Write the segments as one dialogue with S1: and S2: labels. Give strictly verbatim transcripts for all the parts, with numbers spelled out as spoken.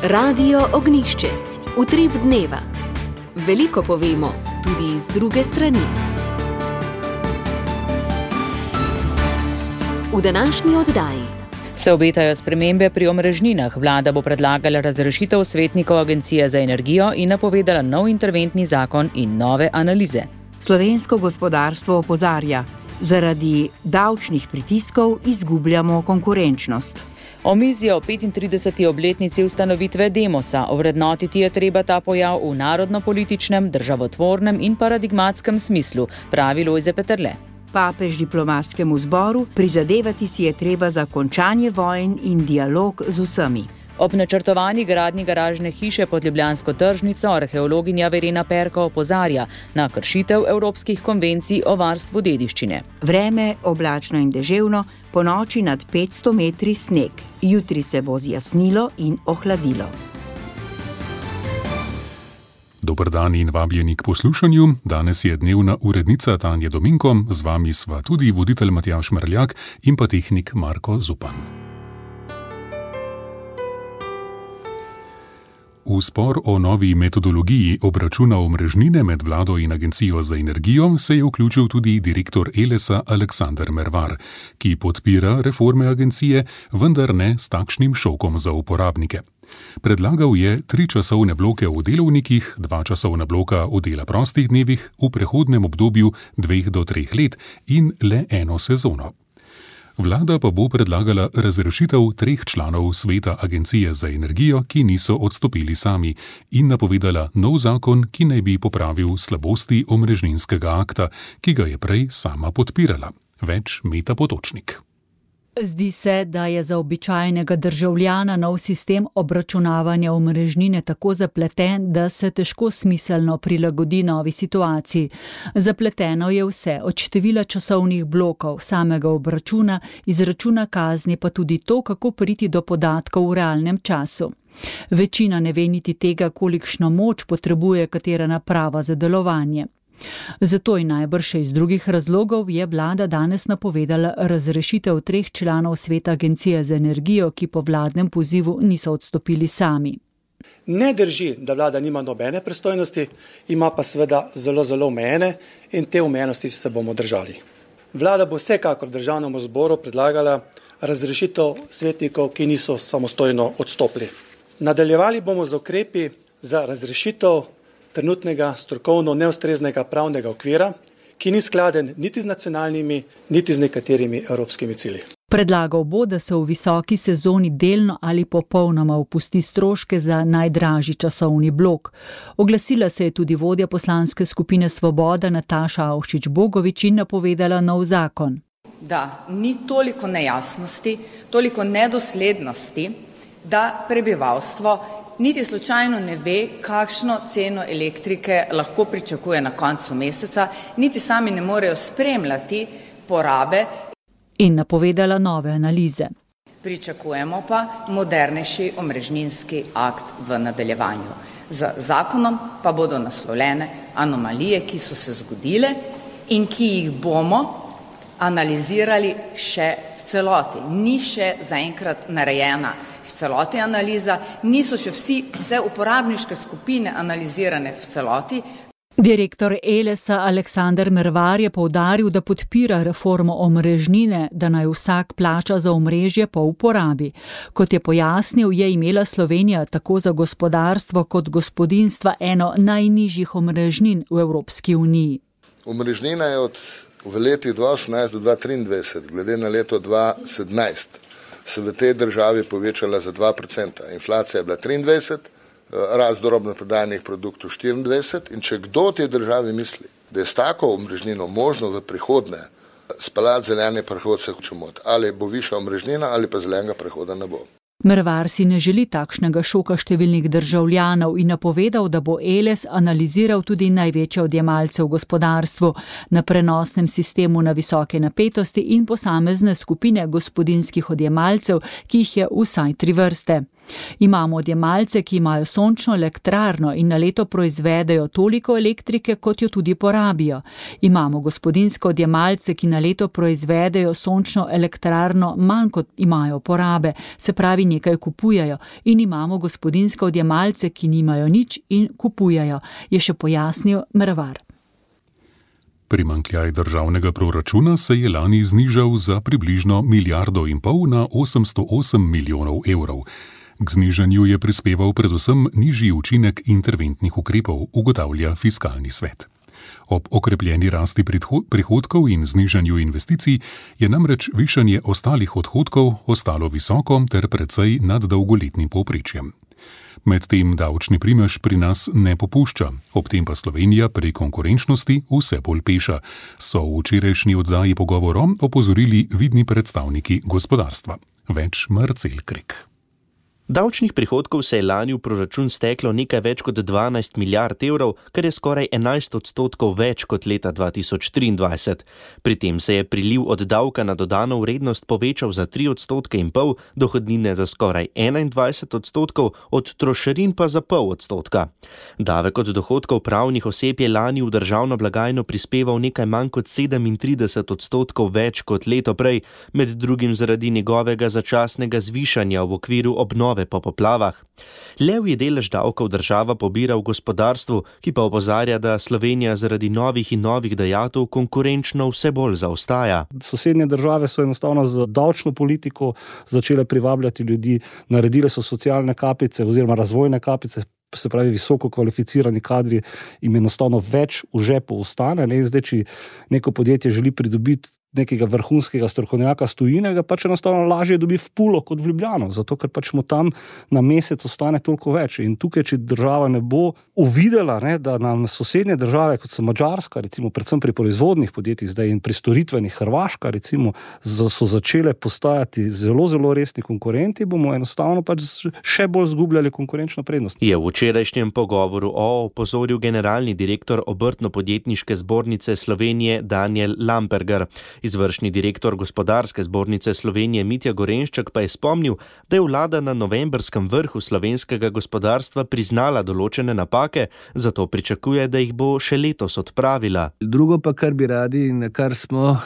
S1: Radio Ognjišče. Utrip dneva. Veliko povemo, tudi z druge strani. V današnji oddaji
S2: se obetajo spremembe pri omrežninah. Vlada bo predlagala razrešitev svetnikov Agencije za energijo in napovedala nov interventni zakon in nove analize.
S3: Slovensko gospodarstvo opozarja, zaradi davčnih pritiskov izgubljamo konkurenčnost.
S2: Omizje o petintrideseti obletnici ustanovitve Demosa. Ovrednotiti je treba ta pojav v narodno-političnem, državotvornem in paradigmatskem smislu, pravi Lojze Peterle.
S3: Papež diplomatskemu zboru: prizadevati si je treba za končanje vojn in dialog z vsemi.
S2: Ob načrtovani gradnji garažne hiše pod ljubljansko tržnico arheologinja Verena Perko opozarja na kršitev evropskih konvencij o varstvu dediščine.
S3: Vreme oblačno in deževno, ponoči nad petsto metri sneg. Jutri se bo zjasnilo in ohladilo.
S4: Dober dan in vabljeni k poslušanju. Danes je dnevna urednica Tanja Dominko, z vami sva tudi voditelj Matjaž Mrljak in pa tehnik Marko Zupan. V spor o novi metodologiji obračuna omrežnine med vlado in Agencijo za energijo se je vključil tudi direktor Elesa Aleksander Mervar, ki podpira reforme agencije, vendar ne s takšnim šokom za uporabnike. Predlagal je tri časovne bloke v delovnikih, dva časovna bloka v dela prostih dnevih v prehodnem obdobju dveh do treh let in le eno sezono. Vlada pa bo predlagala razrešitev treh članov sveta Agencije za energijo, ki niso odstopili sami, in napovedala nov zakon, ki naj bi popravil slabosti omrežninskega akta, ki ga je prej sama podpirala. Več Meta Potočnik.
S5: Zdi se, da je za običajnega državljana nov sistem obračunavanja omrežnine tako zapleten, da se težko smiselno prilagodi novi situaciji. Zapleteno je vse, od števila časovnih blokov, samega obračuna, izračuna kazni, pa tudi to, kako priti do podatkov v realnem času. Večina ne ve niti tega, kolikšno moč potrebuje katera naprava za delovanje. Zato in najbrž še iz drugih razlogov je vlada danes napovedala razrešitev treh članov sveta Agencije za energijo, ki po vladnem pozivu niso odstopili sami.
S6: Ne drži, da vlada nima nobene pristojnosti, ima pa seveda zelo, zelo omejene in te omejenosti se bomo držali. Vlada bo vsekakor državnemu zboru predlagala razrešitev svetnikov, ki niso samostojno odstopili. Nadaljevali bomo z ukrepi za razrešitev trenutnega strokovno neustreznega pravnega okvira, ki ni skladen niti z nacionalnimi, niti z nekaterimi evropskimi cilji.
S5: Predlagal bo, da se v visoki sezoni delno ali popolnoma opusti stroške za najdražji časovni blok. Oglasila se je tudi vodja poslanske skupine Svoboda Nataša Avšič Bogovič in napovedala nov zakon.
S7: Da ni toliko nejasnosti, toliko nedoslednosti, da prebivalstvo niti slučajno ne ve, kakšno ceno elektrike lahko pričakuje na koncu meseca, niti sami ne morejo spremljati porabe.
S5: In napovedala nove analize.
S7: Pričakujemo pa modernejši omrežninski akt v nadaljevanju. Z zakonom pa bodo naslovljene anomalije, ki so se zgodile in ki jih bomo analizirali še v celoti. Ni še zaenkrat narejena v celoti analiza, niso še vsi, vse uporabniške skupine analizirane v celoti.
S5: Direktor Elesa Aleksander Mervar je poudaril, da podpira reformo omrežnine, da naj vsak plača za omrežje po uporabi. Kot je pojasnil, je imela Slovenija tako za gospodarstvo kot gospodinjstva eno najnižjih omrežnin v Evropski uniji.
S8: Omrežnina je od v letih dva tisoč osemnajst do dva tisoč triindvajset, glede na leto dva tisoč sedemnajst, se v tej državi povečala za dva procenta. Inflacija je bila triindvajset, rast drobnoprodajnih produktov štiriindvajset in če kdo v tej državi misli, da je s tako omrežnino možno v prihodnje speljati zeleni prehod, se hoče moti. Ali bo višja omrežnina ali pa zelenega prehoda ne bo.
S5: Mervar si ne želi takšnega šoka številnih državljanov in napovedal, da bo Eles analiziral tudi največje odjemalce v gospodarstvu, na prenosnem sistemu na visoke napetosti in posamezne skupine gospodinjskih odjemalcev, ki jih je vsaj tri vrste. Imamo odjemalce, ki imajo sončno elektrarno in na leto proizvedejo toliko elektrike, kot jo tudi porabijo. Imamo gospodinjske odjemalce, ki na leto proizvedejo sončno elektrarno manj, kot imajo porabe, se pravi nekaj kupujejo in imamo gospodinjske odjemalce, ki nimajo nič in kupujejo, je še pojasnil Mervar.
S4: Primanjkljaj državnega proračuna se je lani znižal za približno milijardo in pol na osemsto osem milijonov evrov. K znižanju je prispeval predvsem nižji učinek interventnih ukrepov, ugotavlja Fiskalni svet. Ob okrepljeni rasti prihodkov in znižanju investicij je namreč višanje ostalih odhodkov ostalo visoko ter precej nad dolgoletnim povprečjem. Medtem davčni primež pri nas ne popušča, ob tem pa Slovenija pri konkurenčnosti vse bolj peša, so v včerajšnji oddaji Pogovorom opozorili vidni predstavniki gospodarstva. Več Marcel Krek.
S9: Davčnih prihodkov se je lani v proračun steklo nekaj več kot dvanajst milijard evrov, kar je skoraj enajst odstotkov več kot leta dva tisoč triindvajset. Pri tem se je priliv od davka na dodano vrednost povečal za tri odstotke in pol, dohodnine za skoraj enaindvajset odstotkov, od trošarin pa za pol odstotka. Davek od dohodkov pravnih oseb je lani v državno blagajno prispeval nekaj manj kot sedemintrideset odstotkov več kot leto prej, med drugim zaradi njegovega začasnega zvišanja v okviru obnove po poplavah. Levji delež davkov država pobira v gospodarstvu, ki pa opozarja, da Slovenija zaradi novih in novih dajatev konkurenčno vse bolj zaostaja.
S10: Sosednje države so enostavno z davčno politiko začele privabljati ljudi, naredile so socialne kapice oziroma razvojne kapice, se pravi visoko kvalificirani kadri, jim enostavno več v žepu ostane. Ne? Zdaj, če neko podjetje želi pridobiti nekega vrhunskega strokovnjaka s tujine, ga pač enostavno lažje dobi v Pulo kot v Ljubljano, zato ker pač mu tam na mesec ostane toliko več. In tukaj, če država ne bo uvidela, ne, da nam sosednje države, kot so Madžarska, recimo predvsem pri proizvodnih podjetjih zdaj in pri storitvenih Hrvaška, recimo, so začele postajati zelo, zelo resni konkurenti, bomo enostavno pač še bolj zgubljali konkurenčno prednost.
S9: Je v včerajšnjem pogovoru o opozoril generalni direktor Obrtno-podjetniške zbornice Slovenije Daniel Lamperger. Izvršni direktor Gospodarske zbornice Slovenije Mitja Gorenšček pa je spomnil, da je vlada na novembrskem vrhu slovenskega gospodarstva priznala določene napake, zato pričakuje, da jih bo še letos odpravila.
S11: Drugo pa, kar bi radi in na kar smo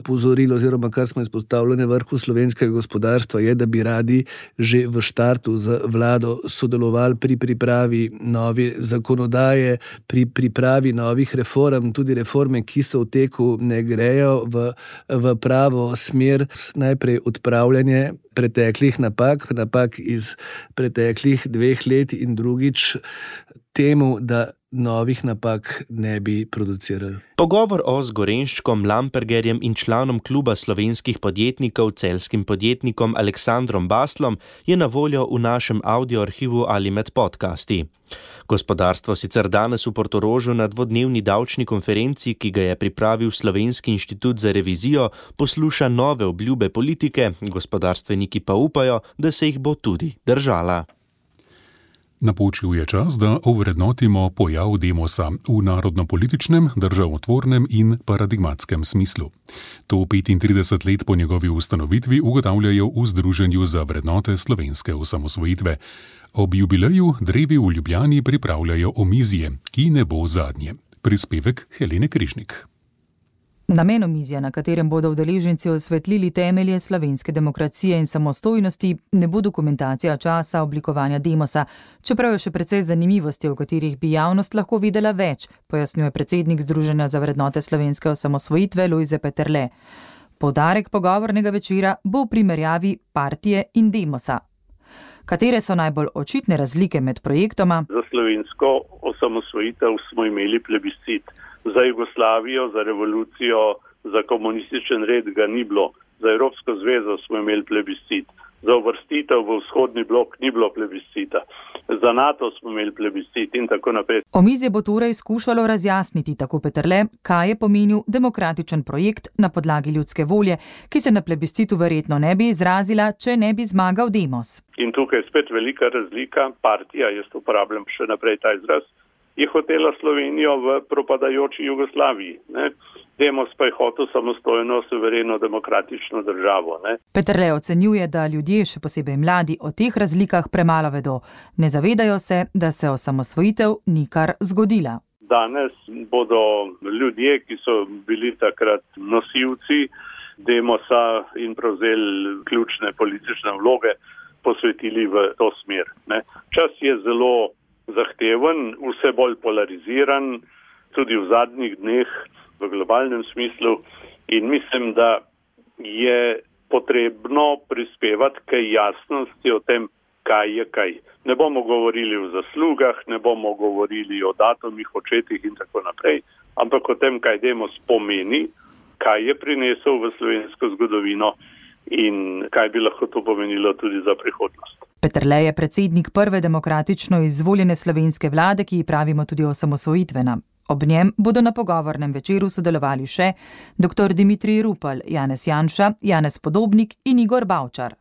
S11: pozorili oziroma kar smo izpostavili na vrhu slovenskega gospodarstva, je, da bi radi že v štartu z vlado sodelovali pri pripravi nove zakonodaje, pri pripravi novih reform, tudi reforme, ki so v teku, ne grejo v v pravo smer, najprej odpravljanje preteklih napak, napak iz preteklih dveh let in drugič temu, da novih napak ne bi producirali.
S9: Pogovor o z Gorenščkom, Lampergerjem in članom kluba slovenskih podjetnikov, celjskim podjetnikom Aleksandrom Baslom je na voljo v našem audioarhivu ali med podcasti. Gospodarstvo sicer danes v Portorožu na dvodnevni davčni konferenci, ki ga je pripravil Slovenski inštitut za revizijo, posluša nove obljube politike, gospodarstveniki pa upajo, da se jih bo tudi držala.
S4: Napočil je čas, da ovrednotimo pojav Demosa v narodno-političnem, državotvornem in paradigmatskem smislu. To petintrideset let po njegovi ustanovitvi ugotavljajo v Združenju za vrednote slovenske osamosvojitve. Ob jubileju drevi v Ljubljani pripravljajo omizje, ki ne bo zadnje. Prispevek Helene Križnik.
S12: Namen omizja, na katerem bodo udeleženci osvetlili temelje slovenske demokracije in samostojnosti, ne bo dokumentacija časa oblikovanja Demosa, čeprav je še precej zanimivosti, o katerih bi javnost lahko videla več, pojasnjuje predsednik Združenja za vrednote slovenske osamosvojitve Lojze Peterle. Poudarek pogovornega večera bo v primerjavi partije in Demosa. Katere so najbolj očitne razlike med projektoma?
S13: Za slovensko osamosvojitev smo imeli plebiscit. Za Jugoslavijo, za revolucijo, za komunističen red ga ni bilo. Za Evropsko zvezo smo imeli plebiscit. Za uvrstitev v vzhodni blok ni bilo plebiscita. Za NATO smo imeli plebiscit in tako naprej.
S12: Omizje bo torej skušalo razjasniti, tako Peterle, kaj je pomenil demokratičen projekt na podlagi ljudske volje, ki se na plebiscitu verjetno ne bi izrazila, če ne bi zmagal Demos.
S13: In tukaj je spet velika razlika. Partija, jaz uporabljam še naprej ta izraz, je hotela Slovenijo v propadajoči Jugoslaviji. Ne? Demos pa je hotel samostojno, suvereno, demokratično državo. Ne?
S12: Peterle ocenjuje, da ljudje, še posebej mladi, o teh razlikah premalo vedo. Ne zavedajo se, da se osamosvojitev ni kar zgodila.
S13: Danes bodo ljudje, ki so bili takrat nosilci Demosa in prevzeli ključne politične vloge, posvetili v to smer. Ne. Čas je zelo zahteven, vse bolj polariziran, tudi v zadnjih dneh v globalnem smislu in mislim, da je potrebno prispevati k jasnosti o tem, kaj je kaj. Ne bomo govorili o zaslugah, ne bomo govorili o datumih, očetih in tako naprej, ampak o tem, kaj Demos pomeni, kaj je prinesel v slovensko zgodovino in kaj bi lahko to pomenilo tudi za prihodnost.
S12: Peterle je predsednik prve demokratično izvoljene slovenske vlade, ki ji pravimo tudi osamosvojitvena. Ob njem bodo na pogovornem večeru sodelovali še dr. Dimitrij Rupel, Janez Janša, Janez Podobnik in Igor Bavčar.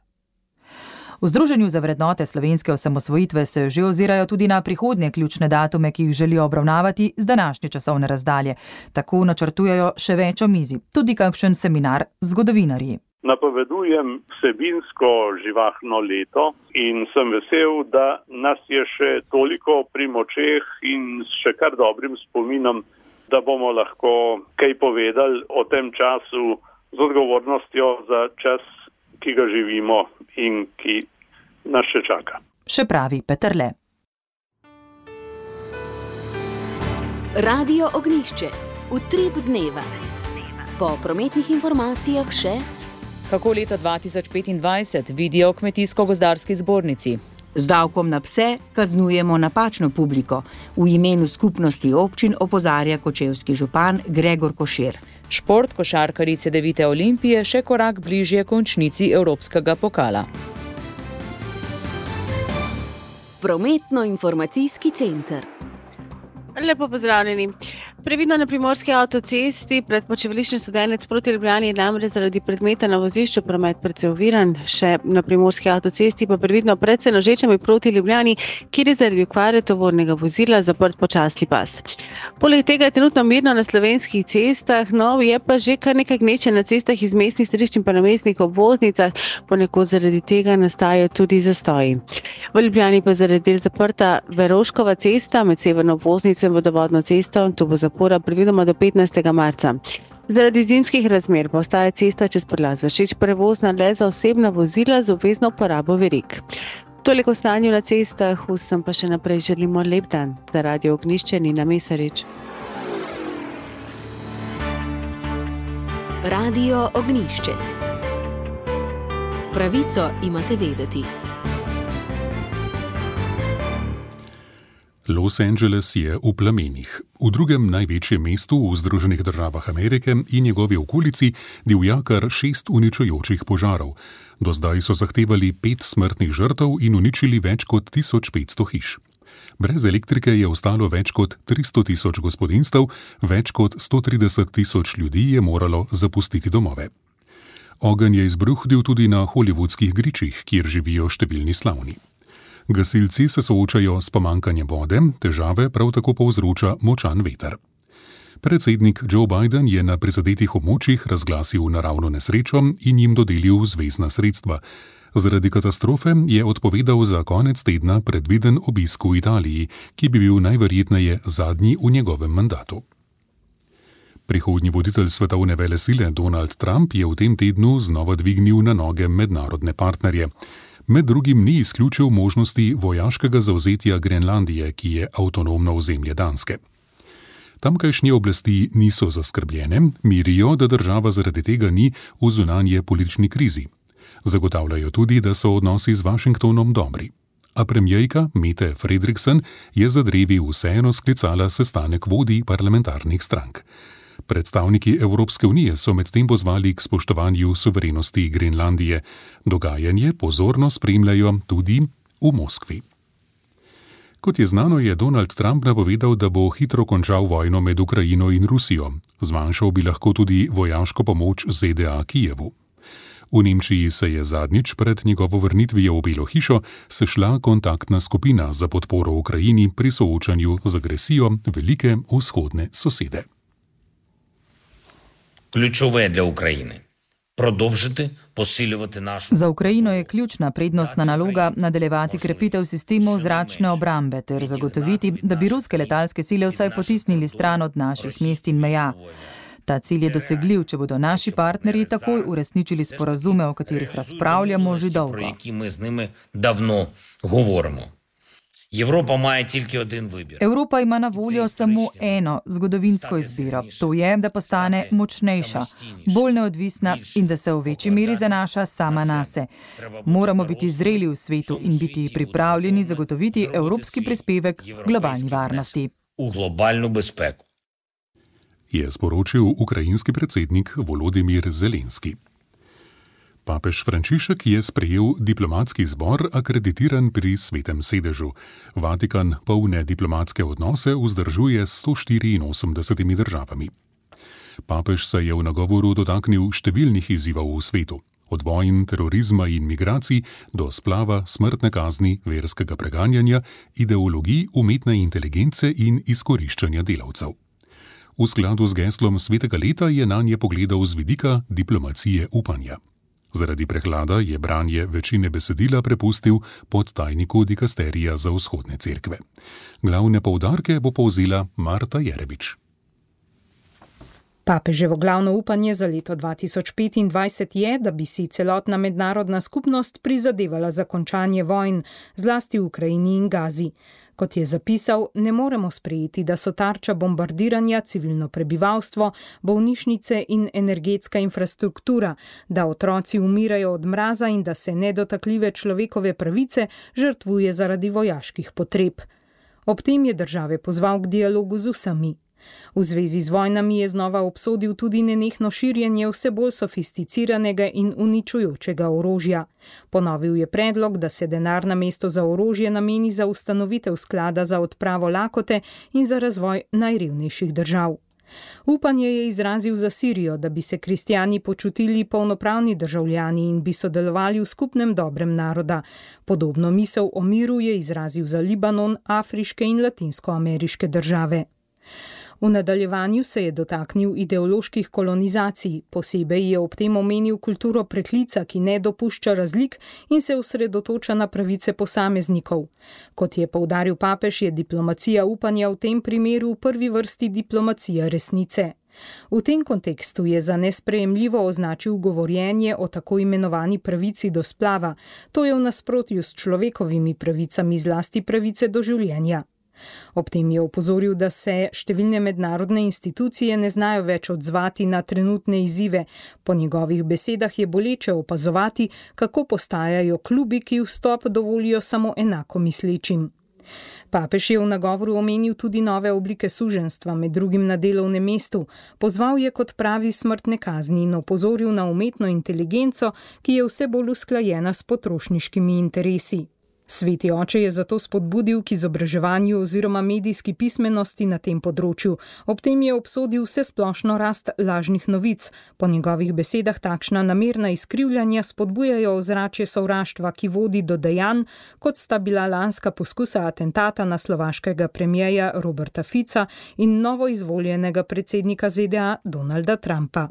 S12: V Združenju za vrednote slovenske osamosvojitve se že ozirajo tudi na prihodnje ključne datume, ki jih želijo obravnavati z današnje časovne razdalje. Tako načrtujejo še več omizij, tudi kakšen seminar z zgodovinarji.
S13: Napovedujem vsebinsko živahno leto in sem vesel, da nas je še toliko pri močeh in s še kar dobrim spominom, da bomo lahko kaj povedali o tem času z odgovornostjo za čas, ki ga živimo in ki nas še čaka.
S12: Še pravi Peterle.
S1: Radio Ognjišče. Utrip dneva. Po prometnih informacijah še
S2: kako leto dva tisoč petindvajset vidijo v Kmetijsko-gozdarski zbornici.
S3: Z davkom na pse kaznujemo napačno publiko. V imenu skupnosti občin opozarja kočevski župan Gregor Košir.
S2: Šport košarkarji Cedevite Olimpije še korak bližje končnici Evropskega pokala.
S1: Prometno-informacijski center.
S14: Lepo pozdravljeni. Previdno na primorski avtocesti pred počivališčem Studenec proti Ljubljani je namreč zaradi predmeta na vozišču promet precej oviran. Še na primorski avtocesti pa previdno pred Senožečami proti Ljubljani, kjer je zaradi okvare tovornega vozila zaprt počasni pas. Poleg tega je trenutno mirno na slovenskih cestah, no je pa že kar nekaj gneče na cestah iz mestnih središč in pa na mestnih obvoznicah, ponekod zaradi tega nastajajo tudi zastoji. V Ljubljani pa zaradi del zaprta Veroškova cesta med severno obvoznico in vodovodno cesto, to bo zapora predvidoma do petnajstega marca. Zaradi zimskih razmer pa ostaja cesta čez Podlaz Vršič prevozna le za osebna vozila z obvezno uporabo verig. Toliko o stanju na cestah, vsem pa še naprej želimo lep dan. Za Radio Ognjišče Nina Mesarič.
S1: Radio Ognjišče. Pravico imate vedeti.
S4: Los Angeles je v plamenih. V drugem največjem mestu v Združenih državah Amerike in njegovi okolici divja kar šest uničujočih požarov. Do zdaj so zahtevali pet smrtnih žrtev in uničili več kot tisoč petsto hiš. Brez elektrike je ostalo več kot tristo tisoč gospodinjstev, več kot sto trideset tisoč ljudi je moralo zapustiti domove. Ogenj je izbruhnil tudi na hollywoodskih gričih, kjer živijo številni slavni. Gasilci se soočajo s pomanjkanjem vode, težave prav tako povzroča močan veter. Predsednik Joe Biden je na prizadetih območjih razglasil naravno nesrečo in jim dodelil zvezna sredstva. Zaradi katastrofe je odpovedal za konec tedna predviden obisk v Italiji, ki bi bil najverjetneje zadnji v njegovem mandatu. Prihodnji voditelj svetovne velesile Donald Trump je v tem tednu znova dvignil na noge mednarodne partnerje. Med drugim ni izključil možnosti vojaškega zavzetja Grenlandije, ki je avtonomno ozemlje Danske. Tamkajšnje oblasti niso zaskrbljene, mirijo, da država zaradi tega ni v zunanje politični krizi. Zagotavljajo tudi, da so odnosi z Washingtonom dobri. A premijejka Mette Frederiksen je za drevi vseeno sklicala sestanek vodij parlamentarnih strank. Predstavniki Evropske unije so medtem pozvali k spoštovanju suverenosti Grenlandije. Dogajanje pozorno spremljajo tudi v Moskvi. Kot je znano, je Donald Trump napovedal, da bo hitro končal vojno med Ukrajino in Rusijo. Zmanjšal bi lahko tudi vojaško pomoč Z D A Kijevu. V Nemčiji se je zadnjič pred njegovo vrnitvijo v Belo hišo sešla kontaktna skupina za podporo Ukrajini pri soočanju z agresijo velike vzhodne sosede.
S15: Ключове для України – продовжити посилювати нашу...
S12: Za Ukrajino je ključna prednostna naloga nadaljevati krepitev sistemov zračne obrambe ter zagotoviti, da bi ruske letalske sile vsaj potisnili stran od naših mest in meja. Ta cilj je dosegljiv, če bodo naši partnerji takoj uresničili sporazume, o katerih razpravljamo že dolgo.
S15: Про які ми з ними давно говоримо. Європа має тільки один вибір.
S12: Evropa ima na voljo samo eno zgodovinsko izbiro. To je, da postane močnejša, bolj neodvisna in da se v večji meri zanaša sama nase. Moramo biti zreli v svetu in biti pripravljeni zagotoviti evropski prispevek v globalni varnosti.
S15: У глобальну безпеку.
S4: Je sporočil ukrajinski predsednik Volodimir Zelenski. Papež Frančišek je sprejel diplomatski zbor akreditiran pri Svetem sedežu. Vatikan polne diplomatske odnose vzdržuje s sto štiriinosemdesetimi državami. Papež se je v nagovoru dotaknil številnih izzivov v svetu. Od vojn, terorizma in migracij do splava, smrtne kazni, verskega preganjanja, ideologij, umetne inteligence in izkoriščanja delavcev. V skladu z geslom svetega leta je nanje pogledal z vidika diplomacije upanja. Zaradi prehlada je branje večine besedila prepustil podtajniku dikasterija za vzhodne cerkve. Glavne poudarke bo povzela Marta Jerebič.
S16: Papeževo glavno upanje za leto dva tisoč petindvajset je, da bi si celotna mednarodna skupnost prizadevala za končanje vojn, zlasti v Ukrajini in Gazi. Kot je zapisal, ne moremo sprejeti, da so tarča bombardiranja civilno prebivalstvo, bolnišnice in energetska infrastruktura, da otroci umirajo od mraza in da se nedotakljive človekove pravice žrtvuje zaradi vojaških potreb. Ob tem je države pozval k dialogu z vsemi. V zvezi z vojnami je znova obsodil tudi nenehno širjenje vse bolj sofisticiranega in uničujočega orožja. Ponovil je predlog, da se denar namesto za orožje nameni za ustanovitev sklada za odpravo lakote in za razvoj najrevnejših držav. Upanje je izrazil za Sirijo, da bi se kristjani počutili polnopravni državljani in bi sodelovali v skupnem dobrem naroda. Podobno misel o miru je izrazil za Libanon, afriške in latinskoameriške države. V nadaljevanju se je dotaknil ideoloških kolonizacij, posebej je ob tem omenil kulturo preklica, ki ne dopušča razlik in se osredotoča na pravice posameznikov. Kot je poudaril papež, je diplomacija upanja v tem primeru v prvi vrsti diplomacija resnice. V tem kontekstu je za nesprejemljivo označil govorjenje o tako imenovani pravici do splava. To je v nasprotju s človekovimi pravicami, zlasti pravice do življenja. Ob tem je opozoril, da se številne mednarodne institucije ne znajo več odzvati na trenutne izzive. Po njegovih besedah je boleče opazovati, kako postajajo klubi, ki vstop dovolijo samo enako mislečim. Papež je v nagovoru omenil tudi nove oblike suženjstva, med drugim na delovnem mestu. Pozval je kot pravi smrtne kazni in opozoril na umetno inteligenco, ki je vse bolj usklajena s potrošniškimi interesi. Sveti oče je zato spodbudil k izobraževanju oziroma medijski pismenosti na tem področju. Ob tem je obsodil vse splošno rast lažnih novic. Po njegovih besedah takšna namerna izkrivljanja spodbujajo ozračje sovraštva, ki vodi do dejanj, kot sta bila lanska poskusa atentata na slovaškega premierja Roberta Fica in novoizvoljenega predsednika Z D A Donalda Trumpa.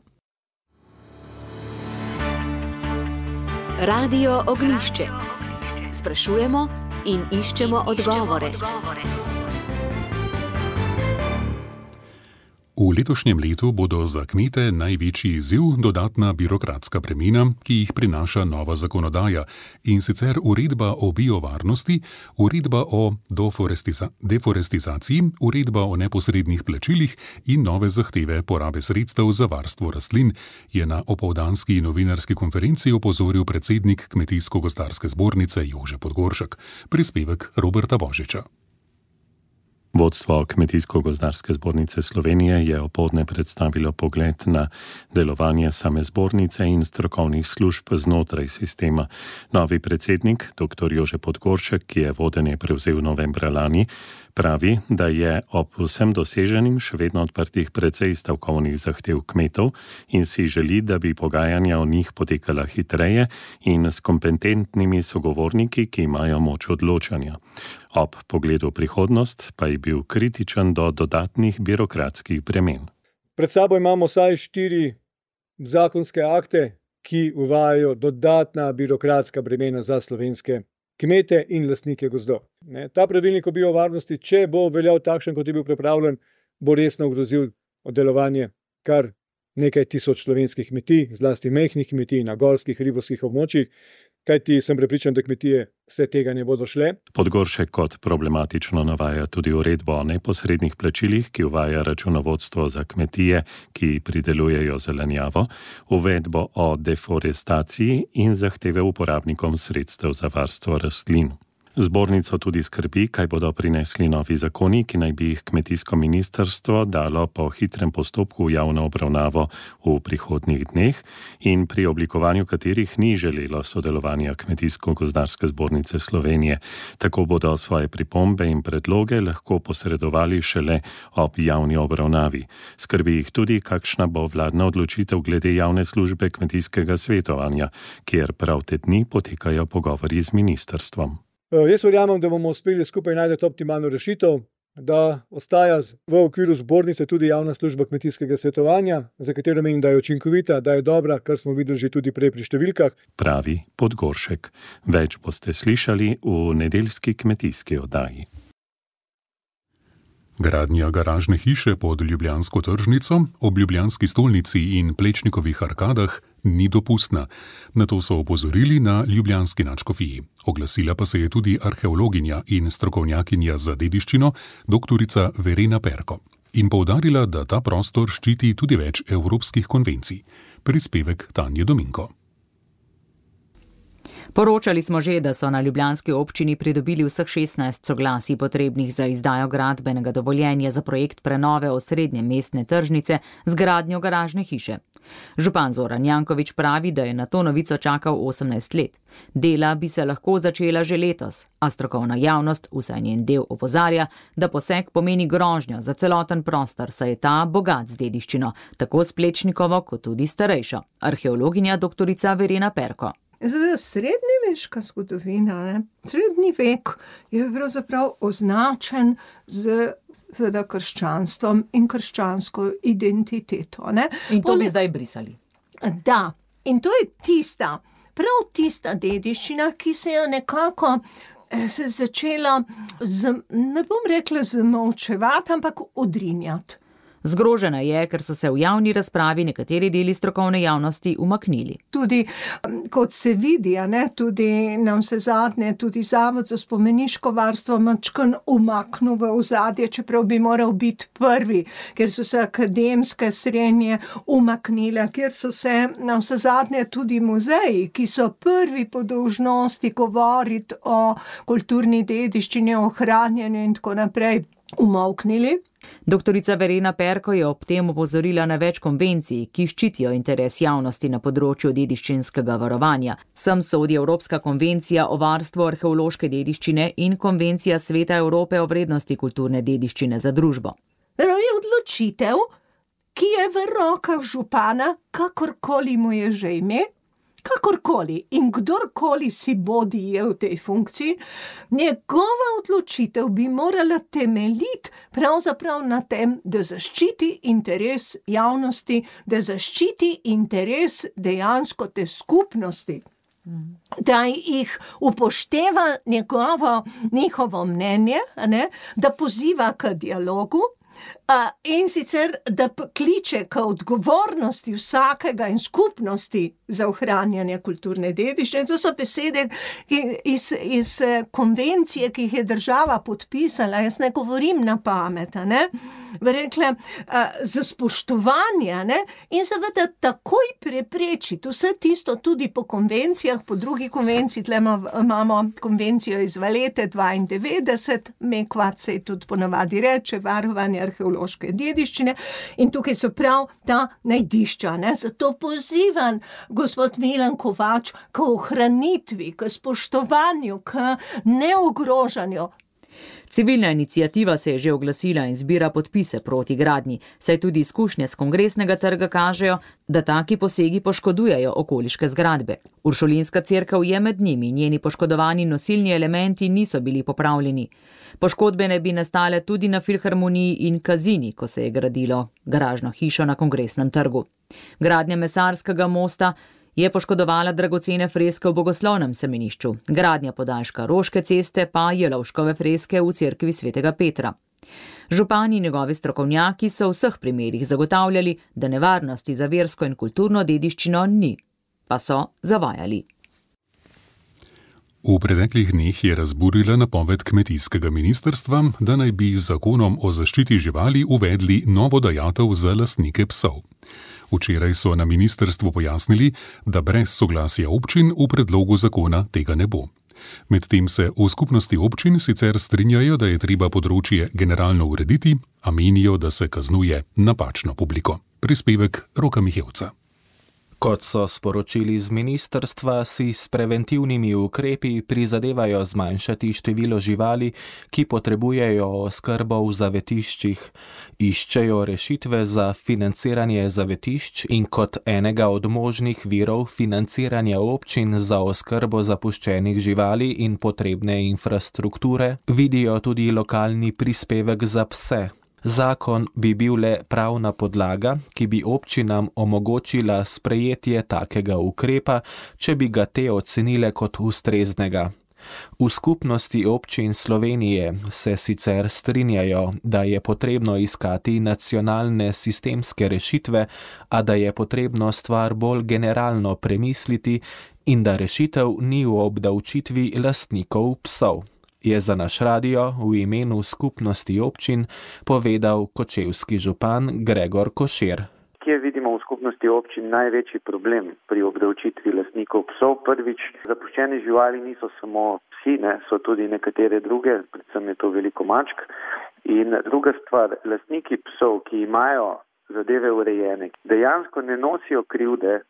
S1: Radio Ognjišče. Sprašujemo in iščemo odgovore.
S4: V letošnjem letu bodo za kmete največji izziv dodatna birokratska bremena, ki jih prinaša nova zakonodaja, in sicer uredba o biovarnosti, uredba o deforestizaciji, uredba o neposrednih plačilih in nove zahteve porabe sredstev za varstvo rastlin, je na opoldanski novinarski konferenci opozoril predsednik Kmetijsko-gozdarske zbornice Jože Podgoršek. Prispevek Roberta Božiča.
S17: Vodstvo Kmetijsko-gozdarske zbornice Slovenije je opoldne predstavilo pogled na delovanje same zbornice in strokovnih služb znotraj sistema. Novi predsednik, dr. Jože Podgoršek, ki je vodenje prevzel novembra lani, pravi, da je ob vsem doseženim še vedno odprtih precej stavkovnih zahtev kmetov in si želi, da bi pogajanja o njih potekala hitreje in s kompetentnimi sogovorniki, ki imajo moč odločanja. Ob pogledu prihodnost pa je bil kritičen do dodatnih birokratskih bremen.
S18: Pred sabo imamo vsaj štiri zakonske akte, ki uvajajo dodatna birokratska bremena za slovenske kmete in lastnike gozdov. Ne, ta pravilnik o biovarnosti, če bo veljal takšen, kot je bil pripravljen, bo resno ogrozil delovanje kar nekaj tisoč slovenskih kmetij, zlasti majhnih kmetij na gorskih ribovskih območjih, kajti sem prepričan, da kmetije vse tega ne bodo šle.
S17: Podgoršek kot problematično navaja tudi uredbo o neposrednih plačilih, ki uvaja računovodstvo za kmetije, ki pridelujejo zelenjavo, uvedbo o deforestaciji in zahteve uporabnikom sredstev za varstvo rastlin. Zbornico tudi skrbi, kaj bodo prinesli novi zakoni, ki naj bi jih kmetijsko ministrstvo dalo po hitrem postopku v javno obravnavo v prihodnjih dneh in pri oblikovanju katerih ni želelo sodelovanja Kmetijsko-gozdarske zbornice Slovenije. Tako bodo svoje pripombe in predloge lahko posredovali šele ob javni obravnavi. Skrbi jih tudi, kakšna bo vladna odločitev glede javne službe kmetijskega svetovanja, kjer prav te dni potekajo pogovori z ministrstvom.
S18: Jaz verjamem, da bomo uspeli skupaj najti optimalno rešitev, da ostaja v okviru zbornice tudi javna služba kmetijskega svetovanja, za katero menim, da je učinkovita, da je dobra, kar smo videli že tudi prej pri številkah.
S17: Pravi Podgoršek. Več boste slišali v nedeljski kmetijski oddaji.
S4: Gradnja garažne hiše pod Ljubljansko tržnico, ob Ljubljanski stolnici in Plečnikovih arkadah ni dopustna. Na to so opozorili na ljubljanski nadškofiji. Oglasila pa se je tudi arheologinja in strokovnjakinja za dediščino, doktorica Verena Perko. In poudarila, da ta prostor ščiti tudi več evropskih konvencij. Prispevek Tanje Dominko.
S2: Poročali smo že, da so na ljubljanski občini pridobili vseh šestnajst soglasij potrebnih za izdajo gradbenega dovoljenja za projekt prenove osrednje mestne tržnice z gradnjo garažne hiše. Župan Zoran Janković pravi, da je na to novico čakal osemnajst let. Dela bi se lahko začela že letos, a strokovna javnost, vsaj njen del, opozarja, da poseg pomeni grožnjo za celoten prostor, saj je ta bogat z dediščino, tako s Plečnikovo kot tudi starejšo. Arheologinja doktorica Verena Perko.
S19: Zdaj, srednjeveška zgodovina, ne? Srednji vek je pravzaprav označen z seveda krščanstvom in krščansko identiteto. Ne?
S2: In to bi zdaj brisali.
S19: Da, in to je tista, prav tista dediščina, ki se je nekako se začela, z, ne bom rekla zamolčevati, ampak odrinjati.
S2: Zgrožena je, ker so se v javni razpravi nekateri deli strokovne javnosti umaknili.
S19: Tudi, kot se vidi, ne, tudi na vse zadnje, tudi Zavod za spomeniško varstvo mačkan umaknil v ozadje, čeprav bi moral biti prvi, ker so se akademske srednje umaknile, ker so se na vse zadnje tudi muzeji, ki so prvi po dolžnosti govoriti o kulturni dediščini, o ohranjanju in tako naprej, umavknili.
S2: Doktorica Verena Perko je ob tem opozorila na več konvencij, ki ščitijo interes javnosti na področju dediščinskega varovanja. Sem sodi Evropska konvencija o varstvu arheološke dediščine in Konvencija Sveta Evrope o vrednosti kulturne dediščine za družbo.
S19: Je odločitev, ki je v rokah župana, kakorkoli mu je že ime, kakorkoli in kdorkoli si bodi je v tej funkciji, njegova odločitev bi morala temeljiti pravzaprav na tem, da zaščiti interes javnosti, da zaščiti interes dejansko te skupnosti, da jih upošteva njegovo, njihovo mnenje, ne, da poziva k dialogu, Uh, in sicer, da kliče k odgovornosti vsakega in skupnosti za ohranjanje kulturne dediščine. To so besede iz, iz konvencije, ki jih je država podpisala. Jaz ne govorim na pamet, ne? Rekla, uh, za spoštovanje, ne? In seveda takoj preprečiti vse tisto tudi po konvencijah, po drugi konvenciji, tle imamo konvencijo iz Valete dvaindevetdeset, Mekvat se tudi ponavadi reče, varovanje arheološke dediščine, in tukaj so prav ta najdišča, ne? Zato pozivam gospod Milan Kovač k ohranitvi, k spoštovanju, k neogrožanju.
S2: Civilna iniciativa se je že oglasila in zbira podpise proti gradnji, saj tudi izkušnje z kongresnega trga kažejo, da taki posegi poškodujejo okoliške zgradbe. Uršulinska cerkev je med njimi, njeni poškodovani nosilni elementi niso bili popravljeni. Poškodbe ne bi nastale tudi na Filharmoniji in Kazini, ko se je gradilo garažno hišo na Kongresnem trgu. Gradnja Mesarskega mosta je poškodovala dragocene freske v Bogoslovnem semenišču, gradnja podaljška Roške ceste pa Jelovškove freske v cerkvi svetega Petra. Župani in njegovi strokovnjaki so v vseh primerih zagotavljali, da nevarnosti za versko in kulturno dediščino ni, pa so zavajali.
S4: V preteklih dneh je razburila napoved kmetijskega ministrstva, da naj bi z zakonom o zaščiti živali uvedli novo dajatev za lastnike psov. Včeraj so na ministrstvu pojasnili, da brez soglasja občin v predlogu zakona tega ne bo. Medtem se v skupnosti občin sicer strinjajo, da je treba področje generalno urediti, a menijo, da se kaznuje napačno publiko. Prispevek Roka Mihevca.
S20: Kot so sporočili z ministrstva, si s preventivnimi ukrepi prizadevajo zmanjšati število živali, ki potrebujejo oskrbo v zavetiščih. Iščejo rešitve za financiranje zavetišč in kot enega od možnih virov financiranja občin za oskrbo zapuščenih živali in potrebne infrastrukture vidijo tudi lokalni prispevek za pse. Zakon bi bil le pravna podlaga, ki bi občinam omogočila sprejetje takega ukrepa, če bi ga te ocenile kot ustreznega. V skupnosti občin Slovenije se sicer strinjajo, da je potrebno iskati nacionalne sistemske rešitve, a da je potrebno stvar bolj generalno premisliti in da rešitev ni v obdavčitvi lastnikov psov, je za naš radio v imenu skupnosti občin povedal kočevski župan Gregor Košir.
S21: Kje vidimo v skupnosti občin največji problem pri obdavčitvi lastnikov psov? Prvič, zapuščene živali niso samo psi, ne, so tudi nekatere druge, predvsem je to veliko mačk. In druga stvar, lastniki psov, ki imajo zadeve urejene, dejansko ne nosijo krivde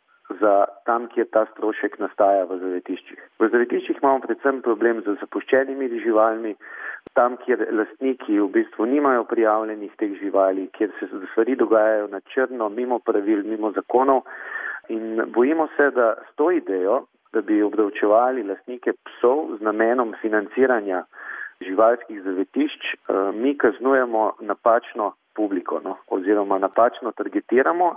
S21: za tam, kjer ta strošek nastaja v zavetiščih. V zavetiščih imamo predvsem problem z zapuščenimi živalmi, tam, kjer lastniki v bistvu nimajo prijavljenih teh živali, kjer se stvari dogajajo na črno, mimo pravil, mimo zakonov. In bojimo se, da s to idejo, da bi obdavčevali lastnike psov z namenom financiranja živalskih zavetišč, mi kaznujemo napačno publiko, no, oziroma napačno targetiramo.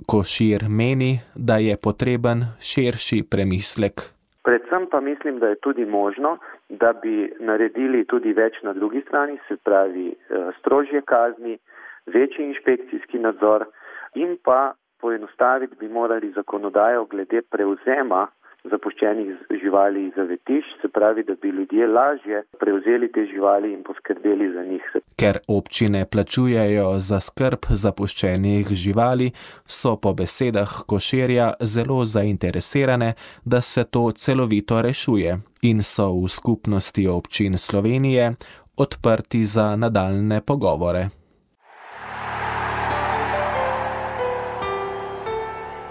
S20: Košir meni, da je potreben širši premislek.
S21: Predvsem pa mislim, da je tudi možno, da bi naredili tudi več na drugi strani, se pravi strožje kazni, večji inšpekcijski nadzor in pa poenostaviti bi morali zakonodajo glede prevzema zapuščenih živali iz zavetišč, se pravi, da bi ljudje lažje prevzeli te živali in poskrbeli za njih.
S20: Ker občine plačujejo za skrb zapuščenih živali, so po besedah Koširja zelo zainteresirane, da se to celovito rešuje in so v skupnosti občin Slovenije odprti za nadaljne pogovore.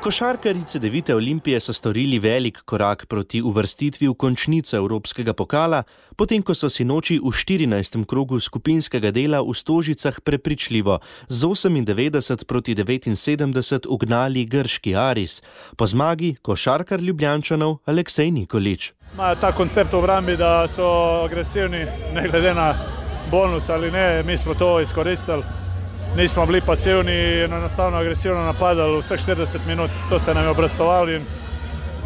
S9: Košarkarji Cedevite Olimpije so storili velik korak proti uvrstitvi v končnico Evropskega pokala, potem ko so sinoči v štirinajstem krogu skupinskega dela v Stožicah prepričljivo z osemindevetdeset proti devetinsedemdeset ugnali grški Aris. Po zmagi košarkar Ljubljančanov Aleksej Nikolić.
S22: Imajo ta koncept v obrambi, da so agresivni, ne glede na bonus ali ne, mi smo to izkoristili. Nismo bili pasivni in enostavno agresivno napadali vseh štirideset minut. To se nam je obrestovalo in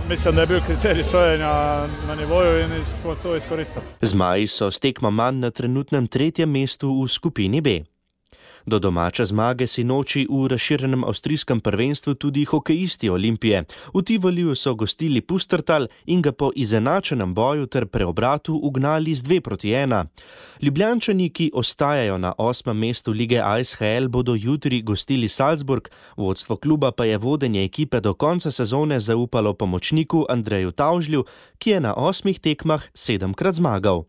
S22: mislim, da je bil kriterij sojenja na nivoju in smo to izkoristili.
S9: Zmaji so s tekmo manj na trenutnem tretjem mestu v skupini B. Do domače zmage sinoči v razširjenem avstrijskem prvenstvu tudi hokejisti Olimpije. V Tivoliju so gostili Pustertal in ga po izenačenem boju ter preobratu ugnali z dve proti ena. Ljubljančani, ki ostajajo na osmem mestu lige A S H L, bodo jutri gostili Salzburg, vodstvo kluba pa je vodenje ekipe do konca sezone zaupalo pomočniku Andreju Tavžlju, ki je na osmih tekmah sedemkrat zmagal.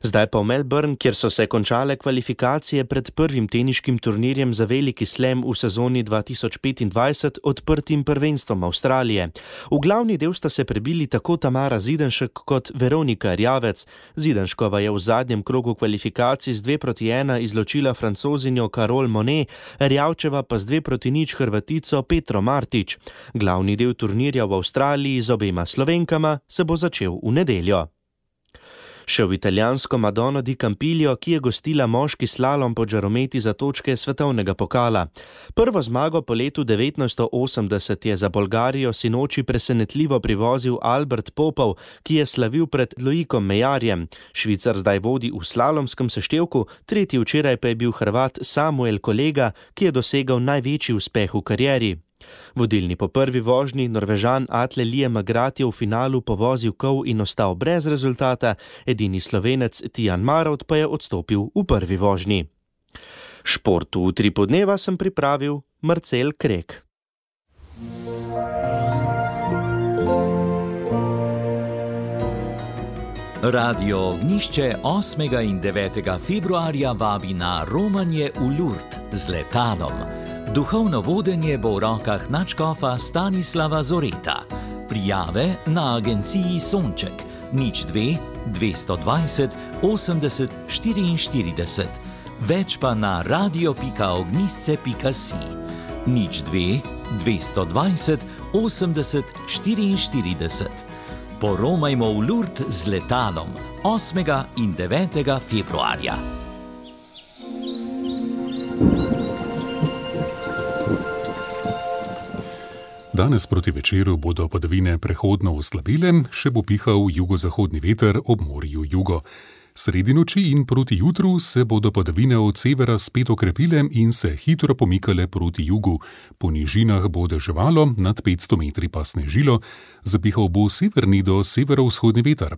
S9: Zdaj pa v Melbourne, kjer so se končale kvalifikacije pred prvim teniškim turnirjem za veliki slam v sezoni dva tisoč petindvajset odprtim prvenstvom Avstralije. V glavni del sta se prebili tako Tamara Zidenšek kot Veronika Erjavec. Zidenškova je v zadnjem krogu kvalifikacij z dve proti ena izločila Francozinjo Carole Monet, Erjavčeva pa z dve proti nič Hrvatico Petro Martič. Glavni del turnirja v Avstraliji z obema Slovenkama se bo začel v nedeljo. Še v italijansko Madono di Campiglio, ki je gostila moški slalom po žarometi za točke svetovnega pokala. Prvo zmago po letu devetnajststo osemdeset je za Bolgarijo sinoči presenetljivo privozil Albert Popov, ki je slavil pred Loikom Mejarjem. Švicar zdaj vodi v slalomskem seštevku, tretji včeraj pa je bil Hrvat Samuel Kolega, ki je dosegal največji uspeh v karieri. Vodilni po prvi vožnji Norvežan Atle Lije Magrat je v finalu povozil kol in ostal brez rezultata, edini Slovenec Tijan Marovt pa je odstopil v prvi vožnji. Športu v Utripu dneva sem pripravil Marcel Krek.
S6: Radio Ognjišče osmega in devetega februarja vabi na romanje v Lurd z letalom. Duhovno vodenje bo v rokah nadškofa Stanislava Zoreta. Prijave na agenciji Sonček nič dve dvesto dvajset osemdeset štiriinštirideset. Več pa na radio pika ognjišče pika si. nič dve dvesto dvajset osemdeset štiriinštirideset. Poromajmo v Lurd z letalom osmega in devetega februarja.
S4: Danes proti večeru bodo padavine prehodno oslabile, še bo pihal jugozahodni veter ob morju jugo. Sredi noči in proti jutru se bodo padavine od severa spet okrepile in se hitro pomikale proti jugu. Po nižinah bo deževalo, nad petsto metri pa snežilo, zapihal bo severni do severovzhodni veter.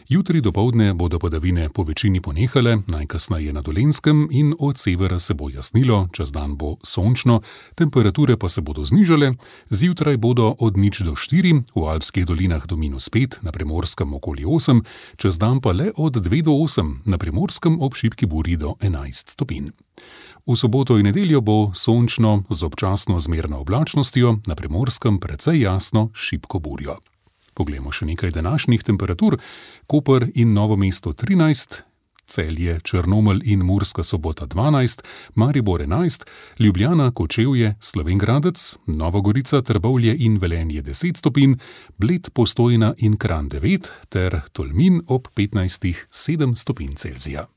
S4: Jutri dopoldne bodo padavine po večini ponehale, najkasneje na Dolenjskem, in od severa se bo jasnilo, čez dan bo sončno, temperature pa se bodo znižale, zjutraj bodo od nič do štiri, v alpskih dolinah do minus pet, na Primorskem okoli osem, čez dan pa le od dve do osem, na Primorskem ob šibki burji do enajst stopinj. V soboto in nedeljo bo sončno z občasno zmerno oblačnostjo, na Primorskem precej jasno šibko burjo. Poglejmo še nekaj današnjih temperatur. Koper in Novo mesto trinajst, Celje, Črnomelj in Murska Sobota dvanajst, Maribor enajst, Ljubljana, Kočevje, Slovenj Gradec, Nova Gorica, Trbovlje in Velenje deset stopinj, Bled, Postojna in Kranj devet ter Tolmin ob petnajstih sedem stopinj Celzija.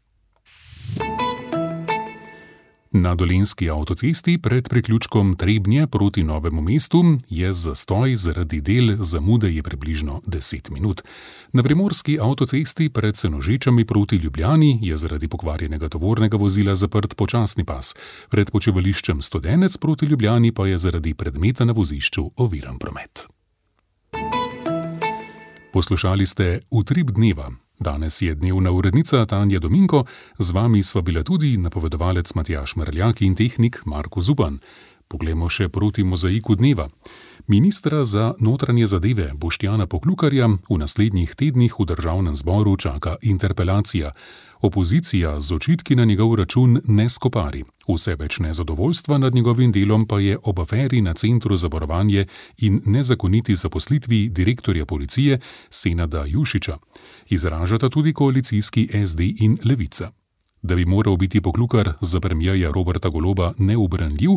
S4: Na Dolenjski avtocesti pred priključkom Trebnje proti Novemu mestu je zastoj, zaradi del zamude je približno deset minut. Na Primorski avtocesti pred Senožečami proti Ljubljani je zaradi pokvarjenega tovornega vozila zaprt počasni pas. Pred počivališčem Studenec proti Ljubljani pa je zaradi predmeta na vozišču oviran promet. Poslušali ste Utrip dneva. Danes je dnevna urednica Tanja Dominko, z vami sva bila tudi napovedovalec Matjaž Merljak in tehnik Marko Zupan. Poglejmo še proti mozaiku dneva. Ministra za notranje zadeve Boštjana Poklukarja v naslednjih tednih v državnem zboru čaka interpelacija. Opozicija z očitki na njegov račun ne skopari. Vse več nezadovoljstva nad njegovim delom pa je ob aferi na Centru za varovanje in nezakoniti zaposlitvi direktorja policije Senada Jušiča. Izražata tudi koalicijski S D in Levica. Da bi moral biti Poklukar za premierja Roberta Goloba neubranljiv,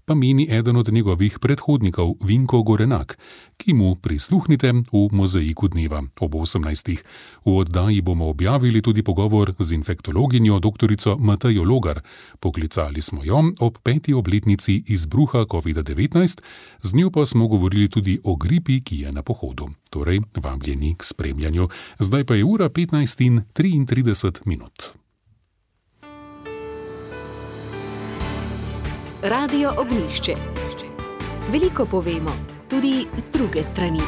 S4: pa meni eden od njegovih predhodnikov Vinko Gorenak, ki mu prisluhnite v mozaiku dneva ob osemnajstih. V oddaji bomo objavili tudi pogovor z infektologinjo doktorico Matejo Logar. Poklicali smo jo ob peti obletnici izbruha kovida devetnajst, z njo pa smo govorili tudi o gripi, ki je na pohodu. Torej, vabljeni k spremljanju. Zdaj pa je ura petnajst in triintrideset minut.
S1: Radio Ognjišče. Veliko povemo, tudi z druge strani.